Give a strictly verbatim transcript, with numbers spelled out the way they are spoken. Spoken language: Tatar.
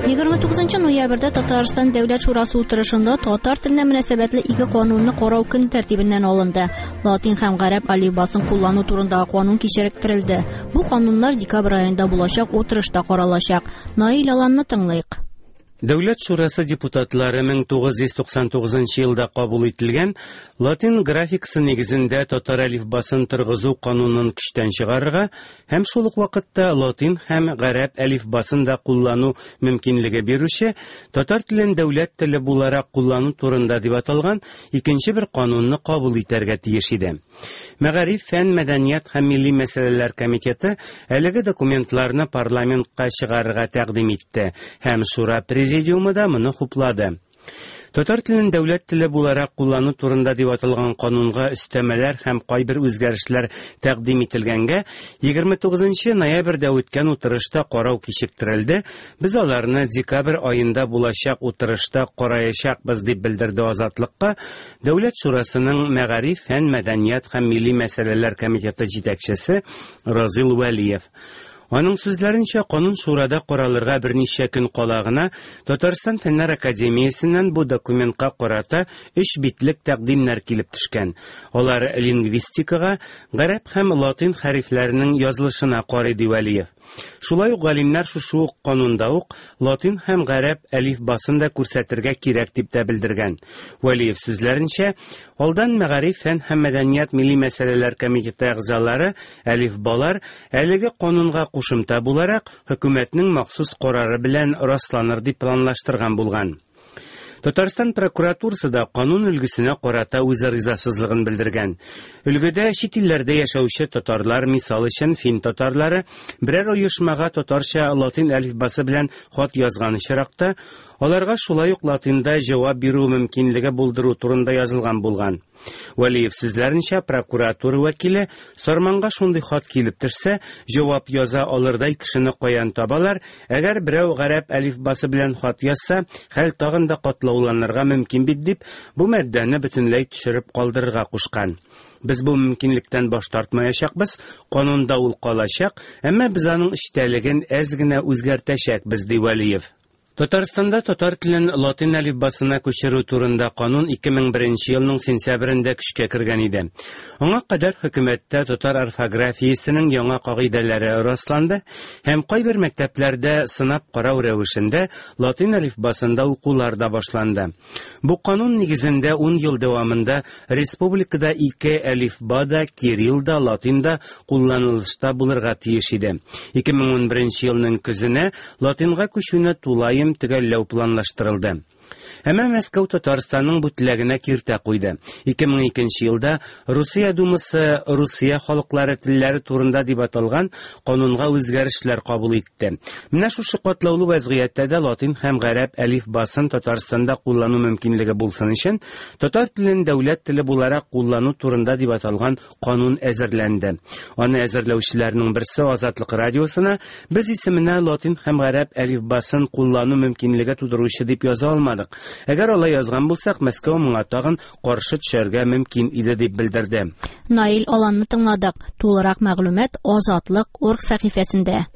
Егерме тугызынчы ноябрьдә Татарстан Дәүләт Шурасы утырышында татар теленә мөнәсәбәтле ике канунны карау көн тәртибеннән алынды. Латин һәм гарәп әлифбасын куллану турындагы канун кичектерелде. Бу кануннар декабрь аенда булачак утырышта каралачак. Наил Аланны тыңлыйк. Дәүләт Шурасы депутатлары мең тугыз йөз туксан тугызынчы елда кабул ителгән латин графикасы нигезендә татар әлифбасын торгызу канунын көчтән чыгарырга һәм шул ук вакытта латин һәм гарәп әлифбасын да куллану мөмкинлеге бирүче татар телен дәүләт теле буларак куллану турында дип аталган икенче бер канунны кабул итәргә тиеш иде. Мәгариф, фән, мәдәният һәм милли мәсьәләләр комитеты әлеге документларны парламентка чыгарырга тәкъдим итте һәм Шура президиумы да моны хуплады. Татар телен дәүләт теле буларак куллану турында дип аталган канунга өстәмәләр һәм кайбер үзгәрешләр тәкъдим ителгәнгә егерме тугызынчы ноябрьдә үткән утырышта карау кичектерелде. Без аларны декабрь аенда булачак утырышта караячакбыз дип белдерде Азатлыкка Дәүләт Шурасының Мәгариф, фән, мәдәният һәм милли мәсьәләләр комитеты җитәкчесе Разил Вәлиев. Аның сүзләренчә, канун шурада каралырга берничә көн кала гына Татарстан Фәннәр Академиясеннән бу документка карата өч битлек тәкъдимнәр килеп төшкән. Алар лингвистикага, гарәп һәм латин хәрефләренең язылышына карый, ди Вәлиев. Шулай ук галимнәр шушы ук канунда ук латин һәм гарәп әлифбасын да күрсәтергә кирәк дип тә белдергән. Вәлиев сүзләренчә, алдан Мәгариф, фән һәм мәдәният милли мәсьәләләр комитеты әгъзалары әлифбалар әлеге канунга кушымта буларак хөкүмәтнең махсус карары белән расланыр дип планлаштырган булган. Татарстан прокуратурасы да канун өлгесенә карата үз ризасызлыгын белдергән. Өлгедә чит илләрдә яшәүче татарлар, мисал өчен фин татарлары, берәр оешмага татарча латин әлифбасы белән хат язган очракта, аларга шулай ук латинда җавап бирү мөмкинлеге булдыру турында язылган булган. Вәлиев сүзләренчә, прокуратура вәкиле Сарманга шундый хат килеп төшсә, җавап яза алырдай кешене каян табалар, әгәр берәү гарәп әлифбасы белән хат язса, хәл тагын да катлауланырга мөмкин бит дип, бу маддәне бөтенләй төшереп калдырырга кушкан. Без бу мөмкинлектән баш тартмаячакбыз, канунда ул калачак, әмма без аның эчтәлеген әз генә үзгәртәчәкбез, ди Вәлиев. Татарстанда татар телен латин әлифбасына күчерү турында канун ике мең беренче елның сентябрендә көчкә кергән иде. Аңа кадәр хөкүмәттә татар орфографиясенең яңа кагыйдәләре расланды һәм кайбер мәктәпләрдә сынап карау рәвешендә латин әлифбасында укулар да башланды. Бу канун нигезендә ун ел дәвамында республикада ике әлифба да, кирилл да, латин да кулланылышта булырга тиеш иде. Ике мең ун беренче елның көзенә латинга күчүне тулаем төгәлләү планлаштырылды. Әмма Мәскәү Татарстанның бу теләгенә киртә куйды. Ике мең икенче елда Русия Думасы Русия халыклары телләре турында дип аталган канунга үзгәрешләр кабул итте. Менә шушы катлаулы вазгыятьтә дә латин һәм гарәп әлифбасын Татарстанда куллану мөмкинлеге булсын өчен татар телен дәүләт теле буларак куллану турында дип аталган канун әзерләнде. Аны әзерләүчеләрнең берсе Азатлык радиосына без исеменә латин һәм гарәп әлифбасын куллану мөмкинлеге тудыручы дип яза алмадык. Әгәр алай язган булсак, Мәскәү моңа тагын каршы төшәргә мөмкин иде дип белдерде. Наил Аланны тыңладык. Тулырак мәгълүмат Азатлык орг сәхифәсендә.